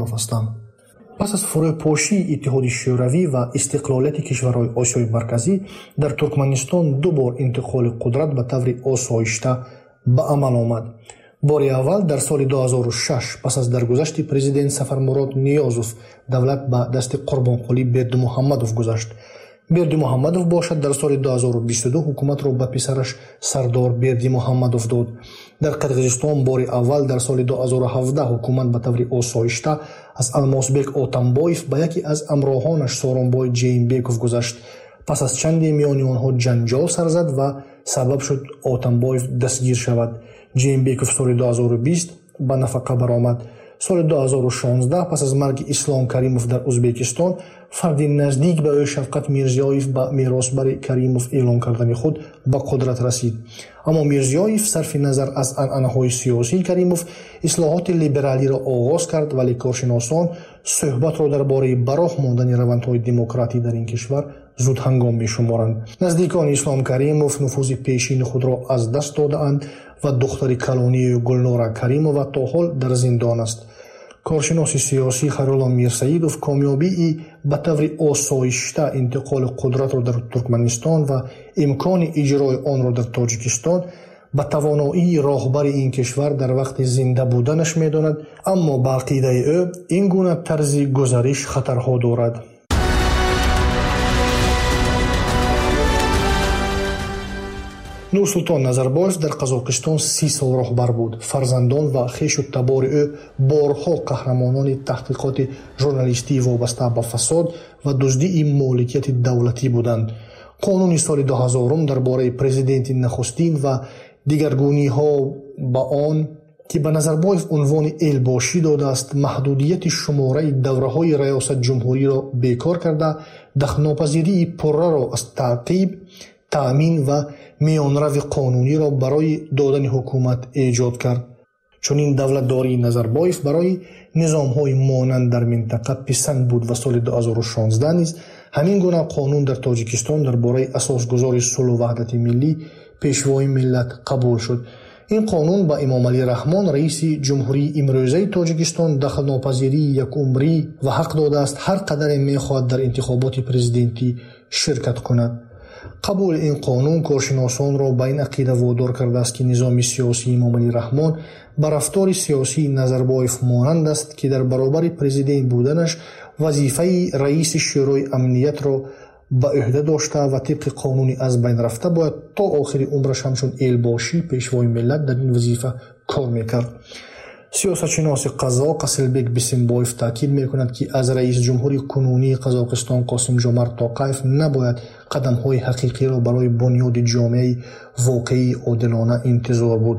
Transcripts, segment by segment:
Хуррамов ҳастам. Пас аз фурӯпошии Иттиҳоди Шӯравӣ ва истиқлолияти кишварҳои Осиёи Марказӣ дар Туркманистон ду бор интиқоли қудрат ба таври осоишта ба амал омад. Бори аввал дар соли 2006 пас аз даргузашти президент Сафармурод Ниёзов давлат ба дасти Қурбонқулӣ Бердимуҳаммадов гузашт. Бердимуҳаммадов бошад дар соли 2022 ҳукуматро ба писараш Сардор Бердимуҳаммадов дод. Дар Қирғизистон бори аввал дар соли 2017 ҳукумат ба таври осоишта аз Алмосбек Отамбоев ба яке аз ҳамроҳонаш Сооронбой Ҷейнбеков гузашт. Пас аз чанде миёни онҳо ҷанҷол сар зад ва сабаб шуд Отамбоев дастгир шавад. Ҷейнбеков соли 2020 ба нафақа баромад. Соли 2016 пас аз марги Ислом Каримов дар Узбекистон фарди наздик ба ӯ Шавқат Мирзиёев ба меросбари Каримов эълон кардани худ ба қудрат расид. Аммо Мирзиёев сарфи назар аз анъанаҳои сиёсии Каримов ислоҳоти либералиро оғоз кард, вале коршиносон суҳбатро дар бораи ба роҳ мондани равандҳои демократӣ дар ин кишвар зудҳангом мешуморанд. Наздикони Ислом Каримов нуфузи пешини худро аз даст додаанд ва духтари калонии Гулнора Каримова то ҳол дар зиндон аст. Коршиноси сиёсӣ Хайрулло Мирсаидов комёбии ба таври осоишта интиқоли қудратро дар Туркманистон ва имкони иҷрои онро дар Тоҷикистон ба тавоноии роҳбари ин кишвар дар вақти зинда буданаш медонад, аммо ба ақидаи ӯ ин гуна тарзи гузариш хатарҳо дорад. Нурсултон Назарбоев дар Қазоқистон 30 сол роҳбар буд. Фарзандон ва хешу табори ӯ борҳо қаҳрамонони таҳқиқоти журналистии вобаста ба фасод ва дуздии моликияти давлатӣ буданд. Қонуни соли 2000 дар бораи президенти нахустин ва дигаргуниҳо ба он, ки ба Назарбоев унвони элбошӣ додааст, маҳдудияти шумораи давраҳои раёсатҷумҳуриро бекор карда, дахлнопазирии пурраро аз таъқиб, таъмин ва миёнрави қонуниро барои додани ҳукумат эҷод кард. Чунин давлатдории Назарбоев барои низомҳои монанд дар минтақа писанд буд ва соли 2016 низ ҳамин гуна қонун дар Тоҷикистон дар бораи асосгузори сулҳу ваҳдати миллӣ, пешвои миллат қабул шуд. Ин қонун ба Эмомалӣ Раҳмон, раиси ҷумҳурии имрӯзаи Тоҷикистон, дахлнопазирии якумрӣ ва ҳақ додааст ҳар қадаре мехоҳад дар интихоботи президентӣ ширкат кунад. Қабули ин қонун коршиносонро ба ин ақида водор кардааст, ки низоми сиёсии Эмомалӣ Раҳмон ба рафтори сиёсии Назарбоев монанд аст, ки дар баробари президент буданаш вазифаи раиси Шӯрои амниятро ба ӯҳда дошта ва тибқи қонуни аз байн рафта бояд то охири умраш ҳамчун элбошӣ пешвои миллат дар ин вазифа кор мекард. Сиёсатшиноси қазоқ Асилбек Бисимбоев таъкид мекунад, ки аз раисҷумҳури кунунии Қазоқистон Қосимҷомарт Тоқаев набояд қадамҳои ҳақиқиро барои бунёди ҷомеаи воқеии одилона интизор буд,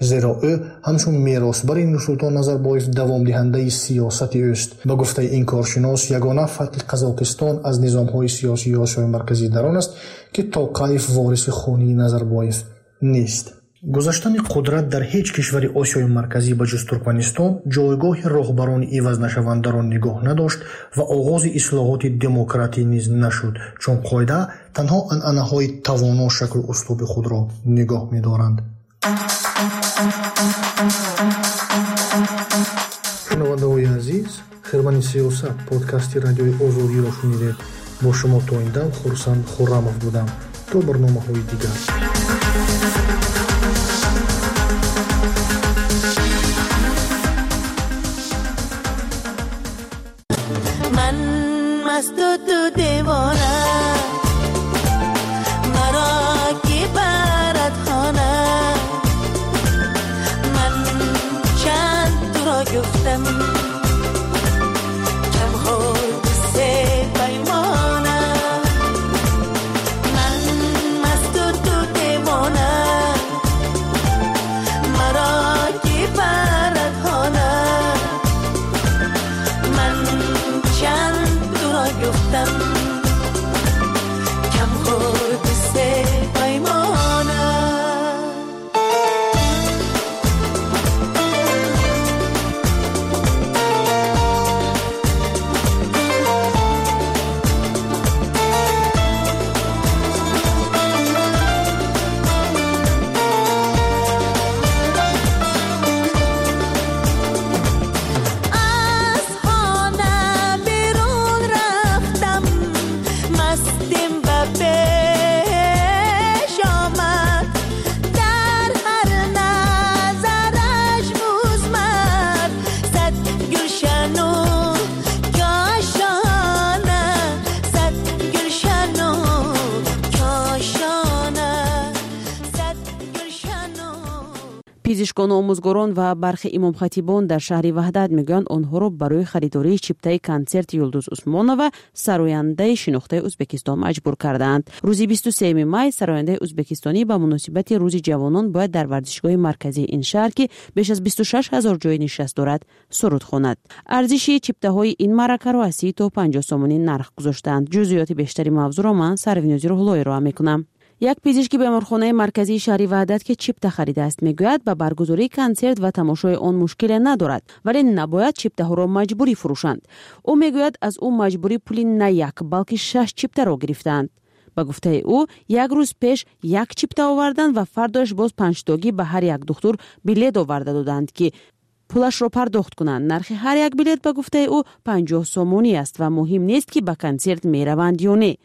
зеро ӯ ҳамчун меросбари Нурсултон Назарбоев давомдиҳандаи сиёсати ӯст. Ба гуфтаи ин коршинос, ягона фарқи Қазоқистон аз низомҳои сиёсии Осиёи Марказӣ дар он аст, ки Тоқаев вориси хунии Назарбоев нест. Гузаштани қудрат дар ҳеҷ кишвари Осиёи Марказӣ ба ҷуз Туркманистон ҷойгоҳи роҳбарони ивазнашавандаро нигоҳ надошт ва оғози ислоҳоти демократӣ низ нашуд, чун қоида танҳо анъанаҳои тавоно шаклу услуби худро нигоҳ медоранд. Шунавандаҳои азиз, Хирмани сиёсат подкасти радиои Озодиро шунидед. Бо шумо то ин дам Хурсанд Хуррамов будам. То барномаҳои дигар. مست و تو دیوانه مرا کی برد خانه، من چند تو را گفتم کم خورد سه پیمانه، من مست و تو دیوانه مرا کی برد خانه، من چند گفتم کم خورد سه پیمانه. از Пизишкону омӯзгорон ва бархе имомхатибон дар шаҳри Ваҳдат мегӯянд, онҳоро барои харидории чиптаи консерти Юлдуз Усмонова, сарояндаи шинохтаи Ӯзбекистон, маҷбур кардаанд. Рӯзи 23 май сарояндаи ӯзбекистонӣ ба муносибати Рӯзи ҷавонон бояд дар варзишгоҳи марказии ин шаҳр, ки беш аз 26 ҳазор ҷои нишаст дорад, суруд хонад. Арзиши чиптаҳои ин маъракаро аз 30 то 50 сомонӣ нарх гузоштаанд. Ҷузъиёти бештари мавзӯъро ман, Сарвинози Рӯҳулло, ироа мекунам. Як пизишки беморхонаи марказии шаҳри Ваҳдат, ки чипта харидааст, мегӯяд, ба баргузории консерт ва тамошои он мушкиле надорад, вале набояд чиптаҳоро маҷбурӣ фурӯшанд. Ӯ мегӯяд, аз ӯ маҷбурӣ пули на як, балки шаш чиптаро гирифтаанд. Ба гуфтаи ӯ, як рӯз пеш як чипта оварданд ва фардояш боз панҷтогӣ ба ҳар як духтур билет оварда доданд, ки пулашро пардохт кунанд. Нархи ҳар як билет, ба гуфтаи ӯ, 50 сомонӣ аст ва муҳим нест, ки ба консерт мераванд ё не.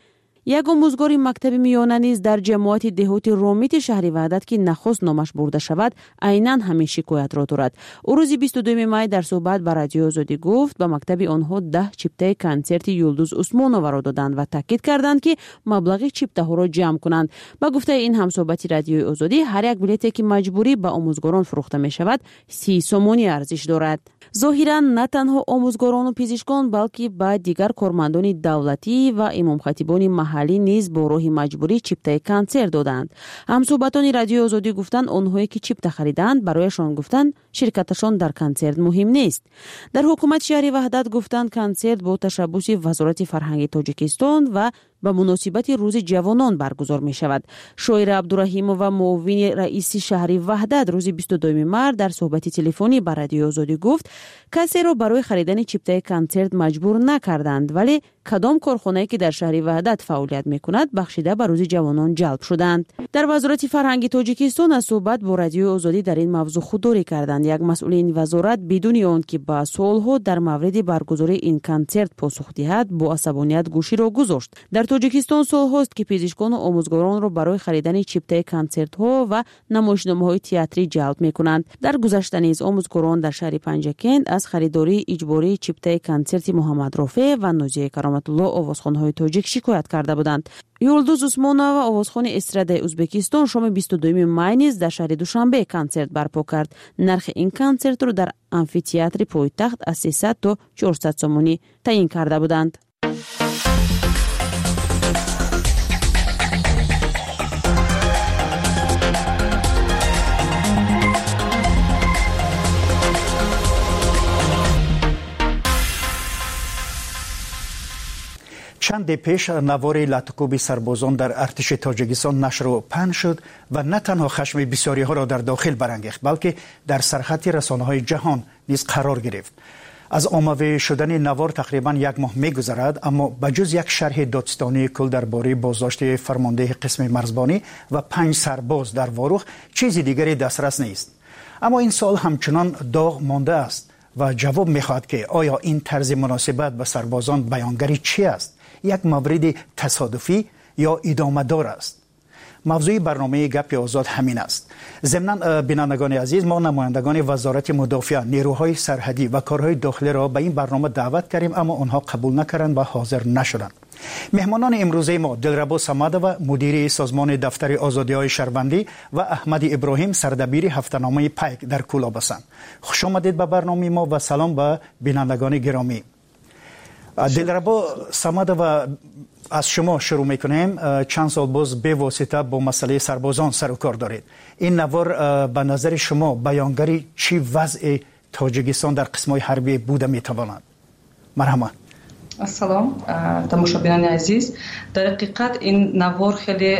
Як омӯзгори мактаби миёна низ дар ҷамоати деҳоти Ромити шаҳри Ваҳдат, ки нахост номаш бурда шавад, айнан ҳамин шикоятро дорад. Ӯ рӯзи 22 май дар суҳбат ба Радиои Озодӣ гуфт, ба мактаби онҳо 10 чиптаи консерти Юлдуз Усмоноваро доданд ва таъкид карданд, ки маблағи чиптаҳоро ҷамъ кунанд. Ба гуфтаи ин ҳамсӯҳбати Радиои Озодӣ, ҳар як билете, ки маҷбурӣ ба омӯзгорон фурӯхта мешавад, 30 сомонӣ арзиш дорад. Зоҳиран, на танҳо омӯзгорону пизишкон, балки ба дигар кормандони давлатӣ ва имомхатибони маҳаллӣ низ бо роҳи маҷбурӣ чиптаи консерт доданд. Ҳамсӯҳбатони Радиои Озодӣ гуфтанд, онҳое ки чипта харидаанд, барояшон гуфтанд, ширкаташон дар консерт муҳим нест. Дар ҳукумати шаҳри Ваҳдат гуфтанд, консерт бо ташаббуси Вазорати фарҳанги Тоҷикистон ва ба муносибати Рӯзи ҷавонон баргузор мешавад. Шоира Абдураҳимова, муовини раиси шаҳри Ваҳдат, рӯзи 22 март дар суҳбати телефонӣ ба Радиои Озодӣ гуфт, касеро барои харидани чиптаи консерт маҷбур накарданд, вале кадом корхонае, ки дар шаҳри Ваҳдат фаъолият мекунад, бахшида ба Рӯзи ҷавонон ҷалб шуданд. Дар Вазорати фарҳанги Тоҷикистон аз суҳбат бо Радиои Озодӣ дар ин мавзӯъ худдорӣ карданд. Як масъули ин вазорат бидуни он ки ба суолҳо дар мавриди баргузории ин консерт посух диҳад, бо асабоният гӯширо гузошт. Дар Тоҷикистон солҳост, ки пизишкону омӯзгоронро барои харидани чиптаи консертҳо ва намоишномаҳои театрӣ ҷалб мекунанд. Дар гузашта низ омӯзгорон дар шаҳри Панҷакент аз харидории иҷбории чиптаи консерти Муҳаммад Рофеъ ва Нозияи Кароматулло, овозхонҳои тоҷик, шикоят карда буданд. Юлдуз Усмонова, овозхони эстрадаи Ӯзбекистон, шоми 22 май низ дар шаҳри Душанбе консерт барпо кард. Нархи ин консертро дар амфитеатри пойтахт аз 300 то 400 сомонӣ таъин карда буданд. Чанде пеш навори латукӯби сарбозон дар артиши Тоҷикистон нашру паҳн шуд ва на танҳо хашми бисёриҳоро дар дохил барангехт, балки дар сархати расонаҳои ҷаҳон низ қарор гирифт. Аз оммавӣ шудани навор тақрибан як моҳ мегузарад, аммо ба ҷуз як шарҳи додситонии кул дар бораи боздошти фармондеҳи қисми марзбонӣ ва панҷ сарбоз дар Ворух чизи дигаре дастрас нест. Аммо ин суол ҳамчунон доғ мондааст ва ҷавоб мехоҳад, ки оё ин тарзи муносибат ба сарбозон баёнгари чӣ аст? Як мавриди тасодуфӣ ё идомадор аст? Мавзӯи барномаи Гапи озод ҳамин аст. Зимнан, бинандагони азиз, мо намояндагони Вазорати мудофиа, нерӯҳои сарҳадӣ ва корҳои дохилиро ба ин барнома даъват кардем, аммо онҳо қабул накарданд ва ҳозир нашуданд. Меҳмонони имрӯзаи мо Дилрабо Самадова, мудири созмони Дафтари озодиҳои шаҳрвандӣ, ва Аҳмади Иброҳим, сардабири ҳафтаномаи Пайк дар Кӯлоб ҳастанд. Хуш омадед ба барномаи мо ва салом ба бинандагони гиромӣ. Дилрабо Самадова, аз шумо шурӯъ мекунем. Чанд сол боз бевосита бо масъалаи сарбозон сару кор доред. Ин навор ба назари шумо баёнгари чӣ вазъи Тоҷикистон дар қисмҳои ҳарбӣ буда метавонад? Марҳамат. Ассалом, тамошобинони азиз. Дар ҳақиқат, ин навор хеле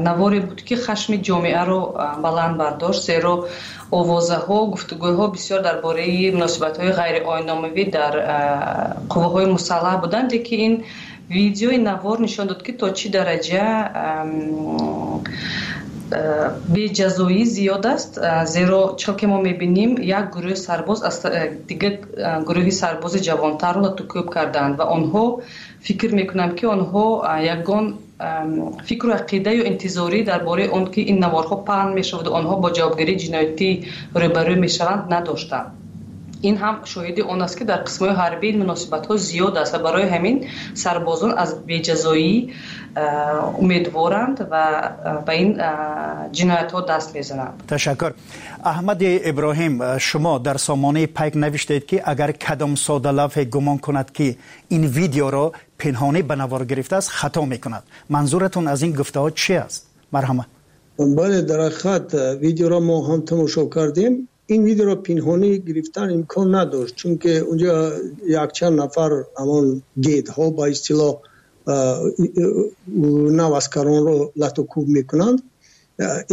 наворе буд, ки хашми ҷомеаро баланд бардошт, зеро овозаҳо, гуфтугӯҳо бисёр дар бораи муносибатҳои ғайриоинномавӣ дар қувваҳои мусаллаҳ буданд, лекин ин видеои навор нишон дод, ки то чӣ дараҷа беҷазоӣ зиёд аст, зеро чӣ ки мо мебинем, як гурӯҳи сарбоз аз дигар гурӯҳи сарбози ҷавонтарро латукӯб карданд ва онҳо, фикр мекунам, ки онҳо ягон фикру ақида ё интизорӣ дар бораи он ки ин наворҳо паҳн мешаваду онҳо бо ҷавобгарии ҷиноятӣ рӯбарӯ мешаванд, надоштанд. Ин ҳам шоҳиди он аст, ки дар қисмҳои ҳарбӣ ин муносибатҳо зиёд аст ва барои ҳамин сарбозон аз беҷазоӣ умедворанд ва ба ин ҷиноятҳо даст мезананд. Ташаккур. Аҳмади Иброҳим, шумо дар сомонаи Пайк навиштед, ки агар кадом содалавҳе гумон кунад, ки ин видеоро пинҳонӣ ба навор гирифтааст, хато мекунад. Манзуратон аз ин гуфтаҳо чи аст? Марҳамат. Бале, дар ҳақиқат видеоро мо ҳам тамошо кардем. Ин видеоро пинҳонӣ гирифтан имкон надошт, чунки унҷо якчанд нафар ҳамон дедҳо, ба истилоҳ, наваскаронро лату кӯб мекунанд.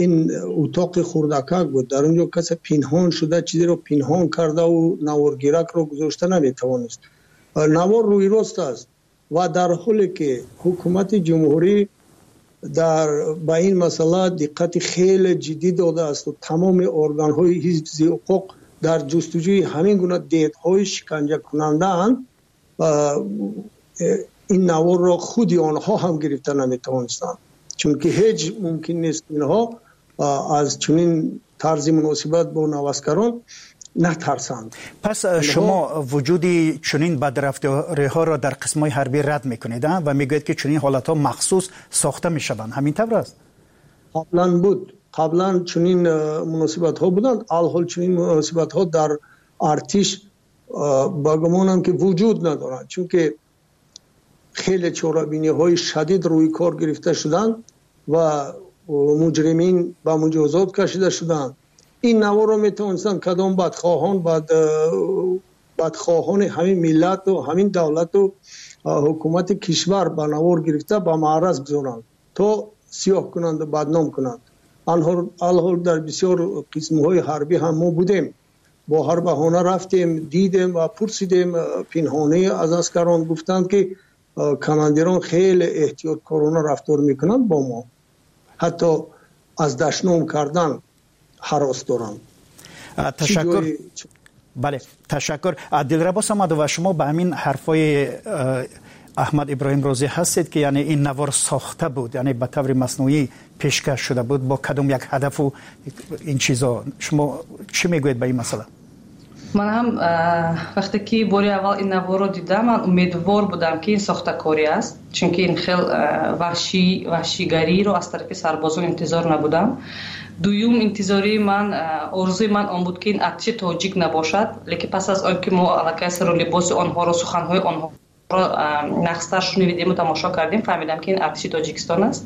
Ин утоқи хурдакак буд, дар он ҷо касе пинҳон шуда, чизеро пинҳон кардаву наворгиракро гузошта наметавонист. Навор рӯйрост аст ва дар ҳоле ки ҳукумати ҷумҳурӣ дар ба ин масъала диққати хеле ҷиддӣ додааст ва тамоми органҳои ҳифзи ҳуқуқ дар ҷустуҷӯи ҳамин гуна дедҳои шиканҷакунандаанд, ин наворро худи онҳо ҳам гирифта наметавонистанд, чунки ҳеҷ мумкин нест инҳо аз чунин тарзи муносибат бо наваскарон натарсанд. Пас шумо вуҷуди чунин бадрафториҳоро дар қисмҳои ҳарбӣ рад мекунед ва мегӯед, ки чунин ҳолатҳо махсус сохта мешаванд. Ҳамин тавр аст? Қаблан буд, қаблан чунин муносибатҳо буданд. Алҳол чунин муносибатҳо дар артиш, ба гумонам, ки вуҷуд надоранд, чунки хеле чорабиниҳои шадид рӯи кор гирифта шуданд ва муҷримин ба муҷозот кашида шуданд. Ин наворро метавонистанд кадом бадхоҳон, бадхоҳони ҳамин миллату ҳамин давлату ҳукумати кишвар ба навор гирифта ба маъраз гузоранд, то сиёҳ кунанду бадном кунанд. Алҳол дар бисёр қисмҳои ҳарбӣ ҳам мо будем, бо ҳар баҳона рафтем, дидем ва пурсидем пинҳонӣ аз аскарон. Гуфтанд, ки командирон хеле эҳтиёткорона рафтор мекунанд бо мо, ҳатто аз дашном кардан ҳарос доранд. Ташаккур. Бале, ташаккур. Дилрабо Самадова, шумо ба ҳамин ҳарфҳои Аҳмад Иброҳим розӣ ҳастед, ки яъне ин навор сохта буд, яъне ба таври маснуӣ пешкаш шуда буд бо кадом як ҳадафу ин чизо? Шумо чӣ мегӯед ба ин масъала? Ман ҳам вақте ки бори аввал ин наворро дидам, ман умедвор будам, ки ин сохтакорӣ аст, чунки ин хел ваҳшигариро аз тарафи сарбозон интизор набудам. Дуюм, интизории ман, орзуи ман он буд, ки ин артиши тоҷик набошад, лекин пас аз он ки мо аллакай сару либоси онҳоро, суханҳои онҳоро нағзтар шунидему тамошо кардем, фаҳмидам, ки ин артиши Тоҷикистон аст.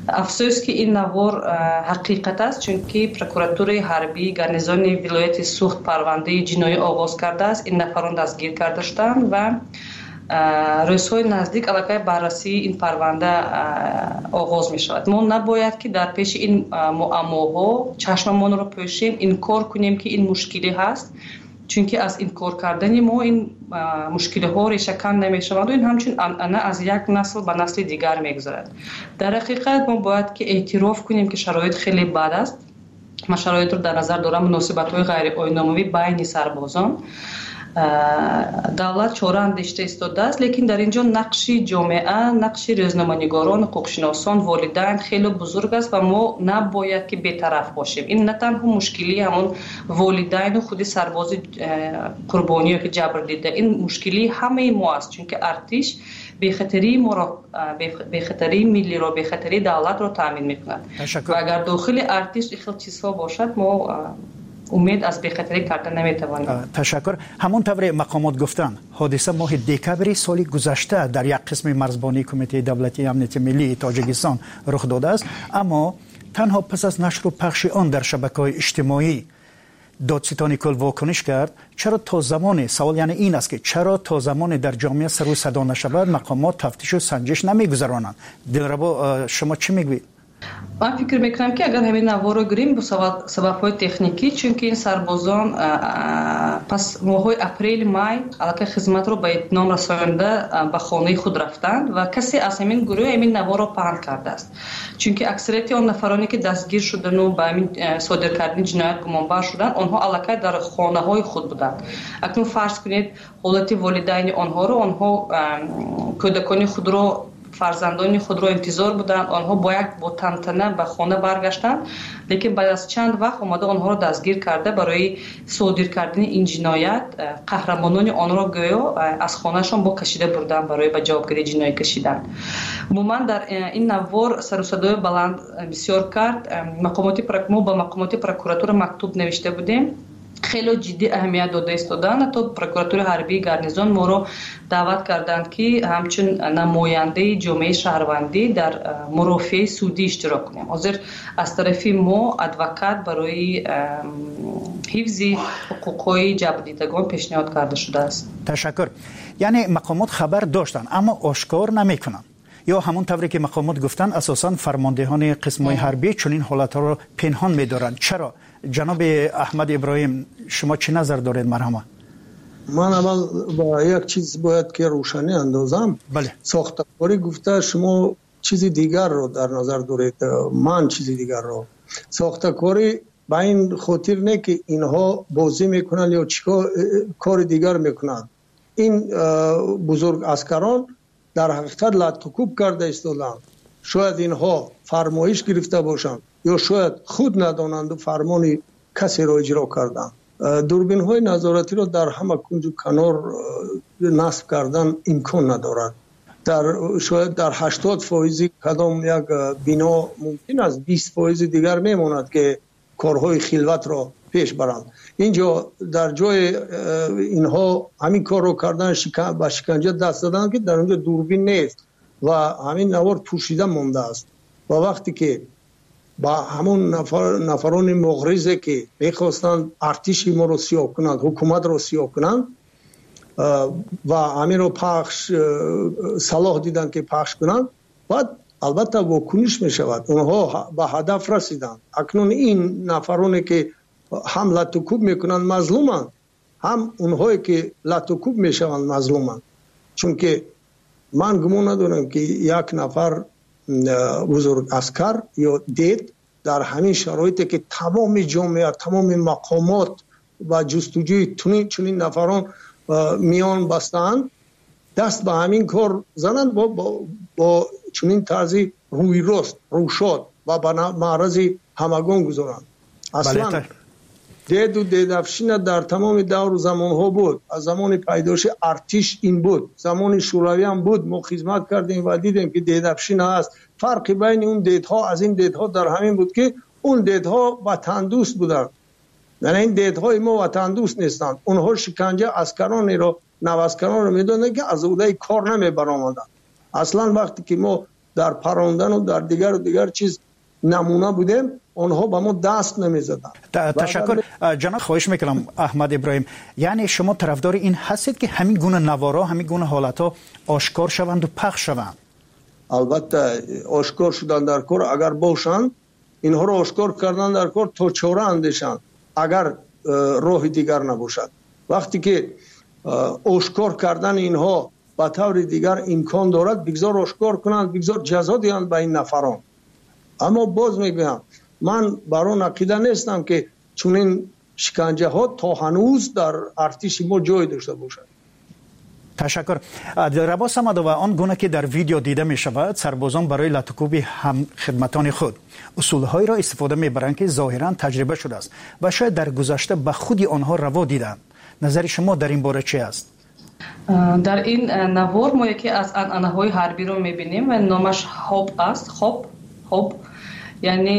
Афсӯс, ки ин навор ҳақиқат аст, чунки прокуратураи ҳарбии гарнизони вилояти Суғд парвандаи ҷиноӣ оғоз кардааст. Ин нафарон дастгир карда шуданд ва рӯзҳои наздик аллакай баррасии ин парванда оғоз мешавад. Мо набояд, ки дар пеши ин муаммоҳо чашмамонро пӯшем, инкор кунем, ки ин мушкилӣ ҳаст, чунки аз инкор кардани мо ин мушкилиҳо решакан намешаванду ин ҳамчун анъана аз як насл ба насли дигар мегузарад. Дар ҳақиқат мо бояд, ки эътироф кунем, ки шароит хеле бад аст. Ман шароитро дар назар дорам муносибатҳои ғайриоиномавӣ байни сарбозон. Давлат чора андешида истодааст, лекин дар ин ҷо нақши ҷомеа, нақши рӯзноманигорон, ҳуқуқшиносон, волидайн хеле бузург аст ва мо набояд, ки бетараф бошем. Ин на танҳо мушкилии ҳамон волидайну худи сарбози қурбонӣ ё ки ҷабрдида, ин мушкилии ҳамаи мо аст, чунки артиш бехатарии моро, бехатарии миллиро, бехатарии давлатро таъмин мекунад. Ва агар дохили артиш ин хел чизҳо бошад, мо умед аз бехатарӣ карда наметавонем. Ташаккур. Ҳамон тавре мақомот гуфтанд, ҳодиса моҳи декабри соли гузашта дар як қисми марзбонии Кумитаи давлатии амнияти миллии Тоҷикистон рух додааст, аммо танҳо пас аз нашру пахши он дар шабакаҳои иҷтимоӣ додситони кул вокуниш кард. Чаро то замоне, савол яъне ин аст, ки чаро то замоне дар ҷомеа сару садо нашавад, мақомот тафтишу санҷиш намегузаронанд? Дилрабо, шумо чӣ мегӯед? Ман фикр мекунам, ки агар ҳамин наворро гирем, бо сабабҳои техникӣ, чунки ин сарбозон пас моҳҳои апрели, май аллакай хизматро ба итмом расонда ба хонаи худ рафтанд ва касе аз ҳамин гурӯҳ ҳамин наворро паҳн кардааст, чунки аксарияти он нафароне, ки дастгир шудану ба ҳамин содир кардани ҷиноят гумонбар шуданд, онҳо аллакай дар хонаҳои худ буданд. Акнун фарз кунед ҳолати волидайни онҳоро. Онҳо кӯдакони худро Фарзандони худро интизор буданд. Онҳо бо як бо тантана ба хона баргаштанд, лекин баъд аз чанд вақт омада онҳоро дастгир карда, барои содир кардани ин ҷиноят қаҳрамонони онро гӯё аз хонаашон бо кашида бурданд барои ба ҷавобгарии ҷиноӣ кашидан. Умуман, дар ин навор сару садои баланд бисёр кард. Мо ба мақомоти прокуратура мактуб навишта будем, хеле ҷиддӣ аҳамият дода истоданд. Ҳатто прокуратураи ҳарбии гарнизон моро даъват карданд, ки ҳамчун намояндаи ҷомеаи шаҳрвандӣ дар мурофиаи судӣ иштирок кунем. Ҳозир аз тарафи мо адвокат барои ҳифзи ҳуқуқҳои ҷабрдидагон пешниҳод карда шудааст. Ташаккур. Яъне мақомот хабар доштанд, аммо ошкор намекунанд, ё ҳамон тавре ки мақомот гуфтанд, асосан фармондеҳони қисмҳои ҳарбӣ чунин ҳолатҳоро пинҳон медоранд? Чаро? Ҷаноби Аҳмад Иброҳим, шумо чӣ назар доред, марҳамат? Ман аввал ба як чиз бояд ки рӯшанӣ андозам. Бале. Сохтакорӣ гуфта, шумо чизи дигарро дар назар доред, ман чизи дигарро. Сохтакорӣ ба ин хотир не, ки инҳо бозӣ мекунанд ё чӣ кори дигар мекунанд. Ин бузург аскарон дар ҳақиқат латтукӯб карда истоданд. Шояд инҳо фармоиш гирифта бошанд ё шояд худ надонанду фармони касеро иҷро карданд. Дурбинҳои назоратиро дар ҳама кунҷу канор насб кардан имкон надорад. Дар шояд дар 80 фоизи кадом як бино мумкин аст, 20 фоизи дигар мемонад, ки корҳои хилватро пеш баранд. Инҷо дар ҷои инҳо ҳамин корро кардан, ба шиканҷа даст заданд, ки дар онҷо дурбин нест ва ҳамин навор пӯшида мондааст. Ва вақте ки ба ҳамон нафарони муғризе, ки мехостанд артиши моро сиёҳ кунанд, ҳукуматро сиёҳ кунанд ва ҳаминро пахш салоҳ диданд, ки пахш кунанд, баъд албатта вокуниш мешавад. Онҳо ба ҳадаф расиданд. Акнун ин нафароне, ки ҳам латтукӯб мекунанд, мазлуманд, ҳам онҳое, ки латтукӯб мешаванд, мазлуманд, чунки ман гумон надорам, ки як нафар бузург аскар ё дед дар ҳамин шароите, ки тамоми ҷомеа, тамоми мақомот ба ҷустуҷӯи чунин нафарон миён бастаанд, даст ба ҳамин кор зананд бо чунин тарзи рӯйрост, рӯшод ва ба маърази ҳамагон гузоранд. Аслан деду дедовщина дар тамоми давру замонҳо буд. Аз замони пайдоиши артиш ин буд, замони шӯравиам буд. Мо хизмат кардем ва дидем, ки дедовщина аст. Фарқи байни он дедҳо аз ин дедҳо дар ҳамин буд, ки он дедҳо ватандӯст буданд, яъне ин дедҳои мо ватандӯст нестанд. Онҳо шиканҷа аскаронеро, наваскаронро медонанд, ки аз уҳдаи кор намебаромаданд. Аслан вақте ки мо дар парондану дар дигару дигар чиз намуна будем, онҳо ба мо даст намезаданд. Ташаккур, ҷаноб. Хоҳиш мекунам, Аҳмад Иброҳим, яъне шумо тарафдори ин ҳастед, ки ҳамин гуна наворо, ҳамин гуна ҳолатҳо ошкор шаванду пахш шаванд? Албатта, ошкор шудан дар кор. Агар бошанд, инҳоро ошкор кардан дар кор, то чора андешанд, агар роҳи дигар набошад. Вақте ки ошкор кардани инҳо ба таври дигар имкон дорад, бигзор ошкор кунанд, бигзор ҷазо диҳанд ба ин нафарон. Аммо боз мегӯям, ман бар он ақида нестам, ки чунин шиканҷаҳо то ҳанӯз дар артиши мо ҷой дошта бошад. Ташаккур. Дилрабо Самадова, он гуна ки дар видео дида мешавад, сарбозон барои латукӯби ҳамхидматони худ усулҳоеро истифода мебаранд, ки зоҳиран таҷриба шудааст ва шояд дар гузашта ба худи онҳо раво диданд. Назари шумо дар ин бора чи аст? Дар ин навор мо яке аз анъанаҳои ҳарбиро мебинем ва номаш хоб аст. Хоб, хоб, яъне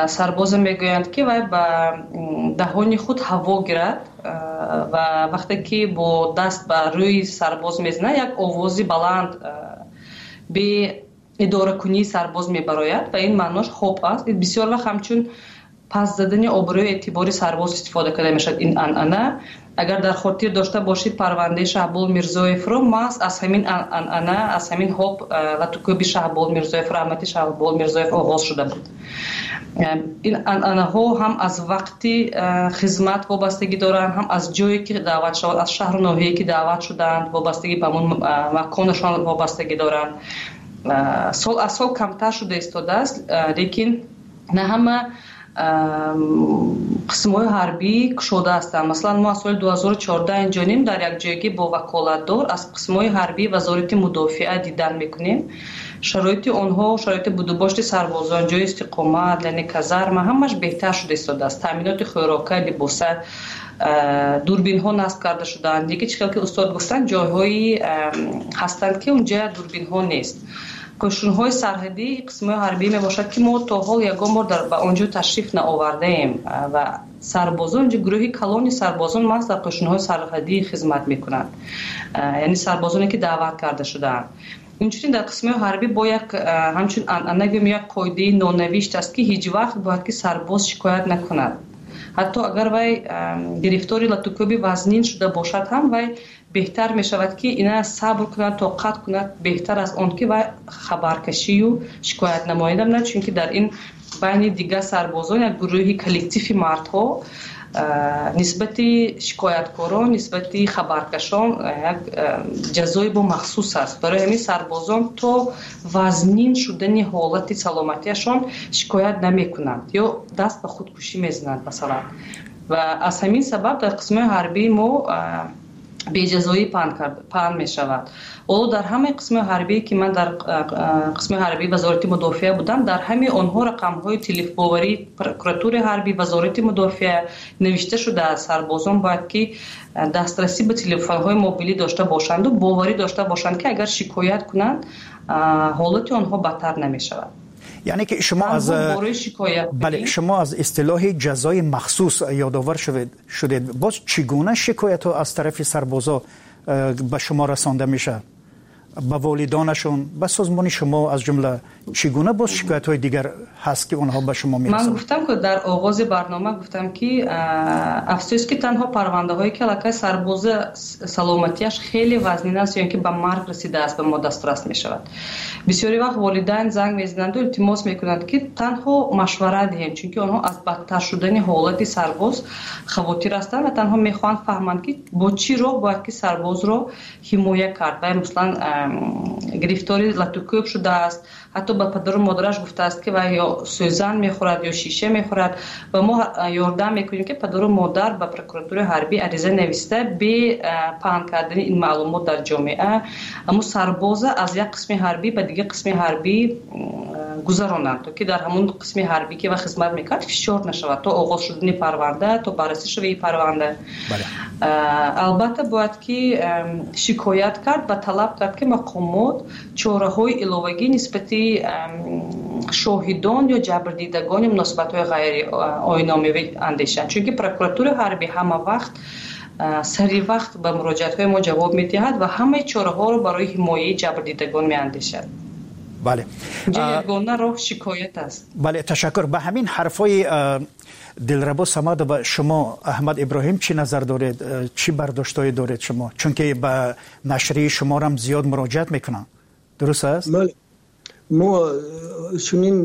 сарбоза мегӯянд, ки вай ба даҳони худ ҳаво гирад ва вақте ки бо даст ба рӯи сарбоз мезанад, як овози баланд бе идоракунии сарбоз мебарояд ва ин маънош хоб аст. Бисёр вақт ҳамчун пас задани обрӯи эътибори сарбоз истифода карда мешавад ин анъана. Агар дар хотир дошта бошед, парвандаи Шаҳбол Мирзоевро маҳз аз ҳамин анъана, аз ҳамин ҳоб латукӯби Шаҳбол Мирзоев, раҳмати Шаҳбол Мирзоев оғоз шуда буд. Ин анъанаҳо ҳам аз вақти хизмат вобастагӣ доранд, ҳам аз ҷое, ки даъват шавад, аз шаҳру ноҳияе, ки даъват шудаанд, вобастагӣ ба ҳамон маконашон вобастагӣ доранд. Сол аз сол камтар шуда истодааст, лекин на ҳама. Қисмҳои ҳарбӣ кушода ҳастанд. Масалан, мо аз соли 2014 инҷонем дар якҷоягӣ бо ваколатдор аз қисмҳои ҳарбии Вазорати мудофиа дидан мекунем. Шароити онҳо, шароити будубошти сарбозон, ҷои истиқомат, яъне казарма, ҳамаш беҳтар шуда истодааст. Таъминоти хӯрока, либоса, дурбинҳо насб карда шудаанд. Дига чӣ хел ки устод гуфтанд, ҷойҳои ҳастанд, ки унҷа дурбинҳо нест. Қӯшунҳои сарҳадӣ қисмҳои ҳарбӣ мебошад, ки мо то ҳол ягон бор ба он ҷо ташриф наовардаем ва сарбозон инҷо, гурӯҳи калони сарбозон маҳз дар қӯшунҳои сарҳадӣ хизмат мекунанд, яъне сарбозоне, ки даъват карда шудаанд. Инчунин дар қисмҳои ҳарбӣ бо як ҳамчун анъана гӯем, як қоидаи нонавишт аст, ки ҳеҷ вақт бояд ки сарбоз шикоят накунад. Ҳатто агар вай гирифтори латукӯби вазнин шуда бошад ҳам, вай беҳтар мешавад, ки ина сабр кунад, тоқат кунад, беҳтар аз он ки вай хабаркашию шикоят намояд на, чунки дар ин байни дигар сарбозон як гурӯҳи коллективи мардҳо нисбати шикояткорон, нисбати хабаркашон як ҷазои бо махсус аст. Барои ҳамин сарбозон то вазнин шудани ҳолати саломатиашон шикоят намекунанд ё даст ба худкушӣ мезананд, масалан. Ва аз ҳамин сабаб дар қисмҳои ҳарбии мо беҷазоӣ паҳн мешавад. Ҳоло дар ҳамаи қисмҳои ҳарбие, ки ман дар қисми ҳарбии Вазорати мудофиа будам, дар ҳамаи онҳо рақамҳои телефбоварии прокуратураи ҳарбӣ, Вазорати мудофиа навишта шудааст. Сарбозон бояд ки дастрасӣ ба телефонҳои мобилӣ дошта бошанду боварӣ дошта бошанд, ки агар шикоят кунанд, ҳолати онҳо бадтар намешавад. Яъне ки шумо аз бале, шумо аз истилоҳи ҷазои махсус ёдовар шудед. Боз чӣ гуна шикоятҳо аз тарафи сарбозо ба шумо расонда мешавад, ба волидонашон, ба созмони шумо аз ҷумла? Чӣ гуна боз шикоятҳои дигар ҳаст, ки онҳо ба шумо мерасонанд? Ман гуфтам, ки дар оғози барнома гуфтам, ки афсӯс, ки танҳо парвандаҳое, ки аллакай сарбоза саломатиаш хеле вазнин аст ё ин ки ба марг расидааст, ба мо дастрас мешавад. Бисёри вақт волидайн занг мезананду илтимос мекунанд, ки танҳо машварат диҳем, чунки онҳо аз бадтар шудани ҳолати сарбоз хавотир ҳастанд ва танҳо мехоҳанд фаҳманд, ки бо чӣ роҳ бояд ки сарбозро ҳимоя кард. Вай, масалан, гирифтори латукӯб шудааст, ҳатто ба падару модараш гуфтааст, ки вай ё сӯзан мехӯрад, ё шиша мехӯрад, ва мо ёрдам мекунем, ки падару модар ба прокуратураи ҳарбӣ ариза нависта, бе паҳн кардани ин маълумот дар ҷомеа, аммо сарбоза аз як қисми ҳарбӣ ба дигар қисми ҳарбӣ гузаронанд, то ки дар ҳамон қисми ҳарбӣ, ки вай хизмат мекард, фишор нашавад то оғоз шудани парванда, то баррасӣ шавии парванда. Албатта, бояд ки шикоят кард ва талаб кард, ки мақомот чораҳои иловагӣ нисбати шоҳидон ё ҷабрдидагони муносибатҳои ғайриоиномавӣ андешанд, чунки прокуратураи ҳарбӣ ҳама вақт сари вақт ба муроҷиатҳои мо ҷавоб медиҳад ва ҳамаи чораҳоро барои ҳимояи ҷабрдидагон меандешад. Ягона роҳ шикоят аст. Бале, ташаккур. Ба ҳамин ҳарфҳои Дилрабо Самадова шумо, Аҳмад Иброҳим, чӣ назар доред, чӣ бардоштҳое доред шумо? Чунки ба нашрияи шуморам зиёд муроҷиат мекунанд, дуруст аст? Бале, мо чунин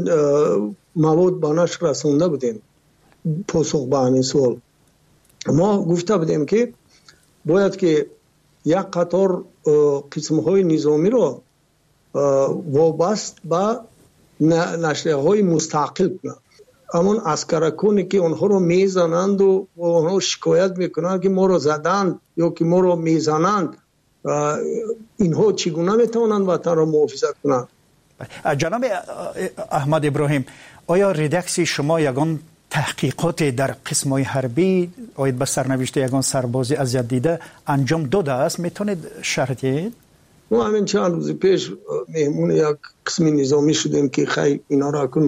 мавод ба нашр расонда будем. Посух ба ҳамин суол, мо гуфта будем, ки бояд ки як қатор қисмҳои низомиро вобаст ба нашрияҳои мустақил кунанд. Ҳамон аскараконе, ки онҳоро мезананду онҳо шикоят мекунанд, ки моро заданд ё ки моро мезананд, инҳо чӣ гуна метавонанд ватанро муҳофизат кунанд? Ҷаноби Аҳмад Иброҳим, оё редаксияи шумо ягон таҳқиқоте дар қисмҳои ҳарбӣ оид ба сарнавишти ягон сарбози азиятдида анҷом додааст? Метавонед шарҳ диҳед? Мо ҳамин чанд рӯзи пеш меҳмони як қисми низомӣ шудем, ки хай, инҳоро акун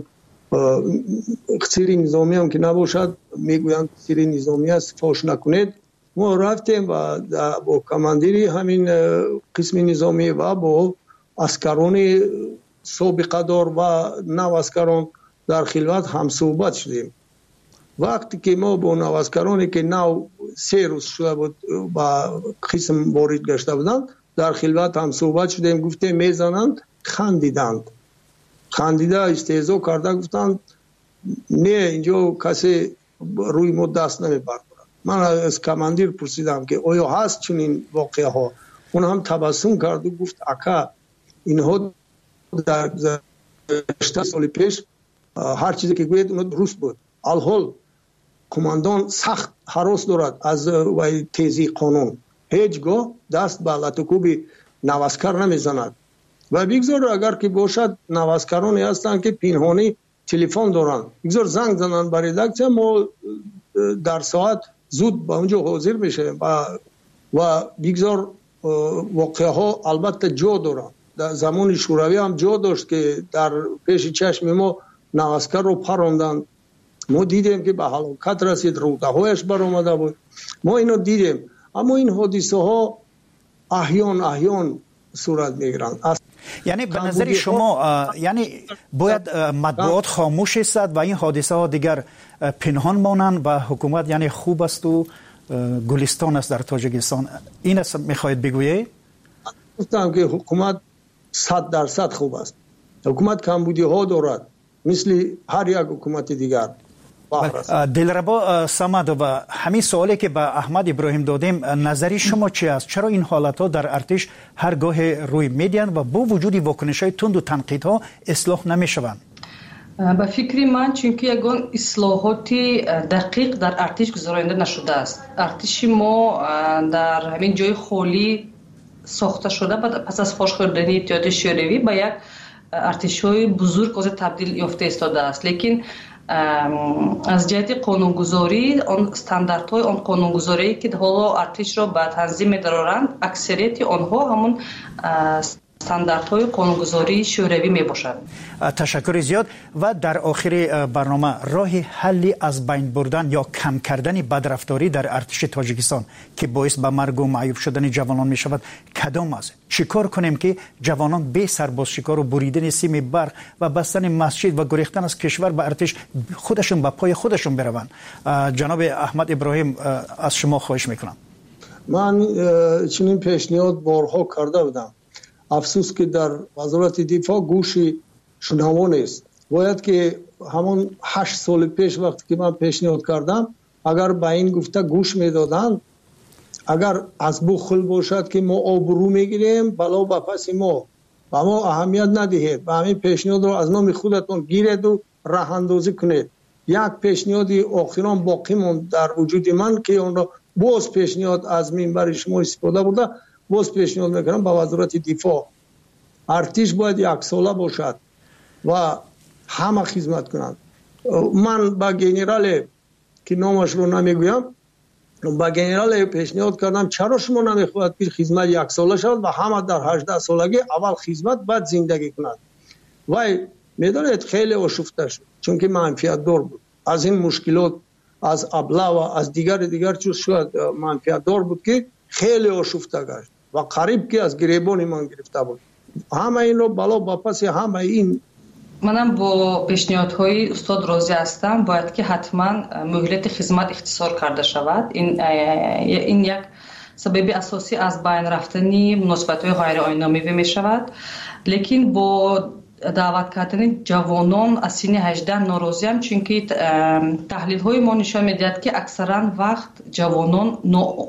сири низомиам ки набошад, мегӯянд, сири низомӣ аст, фош накунед. Мо рафтем ва бо командири ҳамин қисми низомӣ ва бо аскарони собиқадор ва наваскарон дар хилват ҳамсӯҳбат шудем. Вақте ки мо бо наваскароне, ки нав 3 рӯз шуда буд ба қисм ворид гашта буданд, дар хилват ҳамсӯҳбат шудем, гуфтем, мезананд, хандиданд. Хандида, истеҳзо карда гуфтанд: «Не, инҷо касе рӯи мо даст намебардорад». Ман аз командир пурсидам, ки оё ҳаст чунин воқеаҳо? Он ҳам табассум карду гуфт: «Ака, инҳо дар гузашта соли пеш ҳар чизе ки гӯед, оно дуруст буд». Алҳол қумандон сахт ҳарос дорад аз вай тезии қонун, ҳеҷ гоҳ даст ба латукӯби наваскар намезанад. Ва бигзор, агар ки бошад, наваскароне ҳастанд, ки пинҳонӣ телефон доранд, бигзор занг зананд ба редаксия, мо дар соат зуд ба он ҷо ҳозир мешавем. Ва бигзор воқеаҳо албатта ҷо доранд. Дар замони Шӯравӣ ҳам ҷо дошт, ки дар пеши чашми мо наваскарро паронданд. Мо дидем, ки ба ҳалокат расид, рӯдаҳояш баромада буд. Мо ино дидем, аммо ин ҳодисаҳо аҳён аҳён сурат мегиранд. Яъне ба назари шумо, яъне бояд матбуот хомӯш истад ва ин ҳодисаҳо дигар пинҳон монанд ва ҳукумат яъне хуб асту гулистон аст дар Тоҷикистон, ин аст мехоҳед бигӯед? Гуфтам, ки ҳукумат 100% хуб аст. Ҳукумат камбудиҳо дорад, мисли ҳар як ҳукумати дигар. Дилрабо Самадова, ҳамин суоле, ки ба Аҳмад Иброҳим додем, назари шумо чи аст? Чаро ин ҳолатҳо дар артиш ҳар гоҳе рӯй медиҳанд ва бо вуҷуди вокунишҳои тунду танқидҳо ислоҳ намешаванд? Ба фикри ман, чунки ягон ислоҳоти дақиқ дар артиш гузаронида нашудааст. Артиши мо дар ҳамин ҷои холӣ сохта шуда, пас аз фош хӯрдани Иттиҳоди Шӯравӣ ба як артишҳои бузург ҳозир табдил ёфта истодааст, лекин аз ҷиҳати қонунгузорӣ, он стандартҳои он қонунгузорие, ки ҳоло артишро ба танзим медароранд, аксарияти онҳо ҳамон стандартҳои қонунгузории Шӯравӣ мебошад. Ташаккури зиёд. Ва дар охири барнома, роҳи ҳалли аз байн бурдан ё кам кардани бадрафторӣ дар артиши Тоҷикистон, ки боис ба маргу маъюб шудани ҷавонон мешавад, кадом аст? Чӣ кор кунем, ки ҷавонон бе сарбозшикору буридани сими барқ ва бастани масҷид ва гурехтан аз кишвар ба артиш худашон ба пои худашон бираванд? Ҷаноби Аҳмад Иброҳим, аз шумо хоҳиш мекунам. Ман чунин пешниҳод борҳо карда будам. Афсӯс, ки дар Вазорати дифоъ гӯши шунаво нест. Бояд ки ҳамон 8 соли пеш, вақте ки ман пешниҳод кардам, агар ба ин гуфта гӯш медоданд. Агар аз бухл бошад, ки мо обрӯ мегирем, бало ба паси мо, ба мо аҳамият надиҳед, ба ҳамин пешниҳодро аз номи худатон гиреду раҳандозӣ кунед. Як пешниҳоди охирон боқӣ монд дар вуҷуди ман, ки онро боз пешниҳод, аз минбари шумо истифода бурда, боз пешниҳод мекунам ба Вазорати дифоъ: артиш бояд яксола бошад ва ҳама хизмат кунанд. Ман ба генерале, ки номашро намегӯям, ба генерале пешниҳод кардам: чаро шумо намехоҳад, ки хизмат яксола шавад ва ҳама дар 18 солагӣ аввал хизмат, баъд зиндагӣ кунад? Вай, медонед, хеле ошуфта шуд, чунки манфиатдор буд аз ин мушкилот, аз облава, аз дигари дигар чиз шояд манфиатдор буд, ки хеле ошуфта гашт ва қариб ки аз гиребони ман гирифта буд. Ҳама инро бало ба паси ҳамаи ин. Манам бо пешниҳодҳои устод розӣ ҳастам. Бояд ки ҳатман муҳлати хизмат ихтисор карда шавад. Ин як сабаби асосӣ аз байн рафтани муносибатҳои ғайриоинномавӣ мешавад. Лекин бо даъват кардани ҷавонон аз синни 18 норозиам, чунки таҳлилҳои мо нишон медиҳад, ки аксаран вақт ҷавонон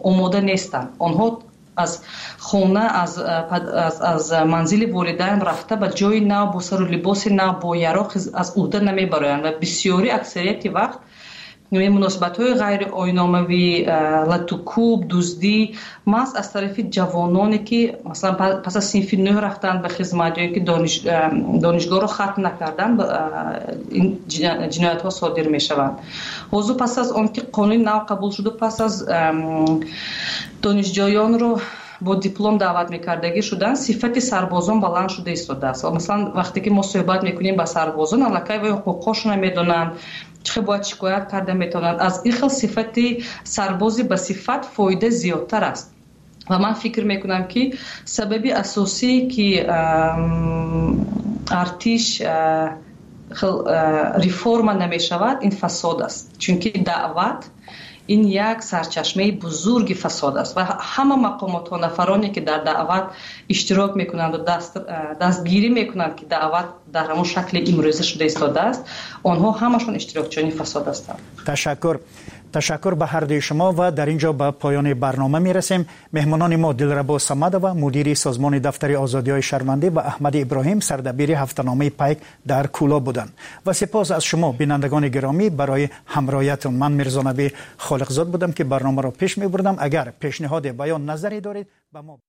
омода нестанд. Онҳо аз хона, аз манзили волидайн рафта, ба ҷои нав, бо сару либоси нав, бо яроқ аз уҳда намебароянд ва бисёри, аксарияти вақт муносибатҳои ғайриоиномавӣ, латукӯб, дуздӣ маҳз аз тарафи ҷавононе, ки масалан пас аз синфи нӯҳ рафтанд ба хизмат ё ки донишгоҳро хатм накарданд, ин ҷиноятҳо содир мешаванд. Ҳозир, пас аз он ки қонуни нав қабул шуду, пас аз донишҷӯёнро бо диплом даъват мекардагӣ шуданд, сифати сарбозон баланд шуда истодааст. Масалан, вақте ки мо суҳбат мекунем ба сарбозон, аллакай вай ҳуқуқҳошонро медонанд, чӣ хел бояд шикоят карда метавонанд. Аз ин хел сифати сарбози ба сифат фоида зиёдтар аст. Ва ман фикр мекунам, ки сабаби асосие, ки артиш реформа намешавад, ин фасод аст, чунки даъват ин як сарчашмаи бузурги фасод аст ва ҳама мақомотҳо, нафароне, ки дар даъват иштирок мекунанду дастгирӣ мекунанд, ки даъват Дар ҳамон шакли имрӯза шуда истодааст, онҳо ҳамашон иштирокчиёни фасод ҳастанд. Ташаккур, ташаккур ба ҳар дуи шумо ва дар ин ҷо ба поёни барнома мерасем. Меҳмонони мо Дилрабо Самадова, мудири созмони Дафтари озодиҳои шаҳрвандӣ, ва Аҳмади Иброҳим, сардабири ҳафтаномаи Пайк дар Кӯлоб буданд. Ва сипос аз шумо, бинандагони гиромӣ, барои ҳамроҳиятон. Ман Мирзонаби Холиқзод будам, ки барномаро пеш мебурдам. Агар пешниҳоде ва ё назаре доред, ба мо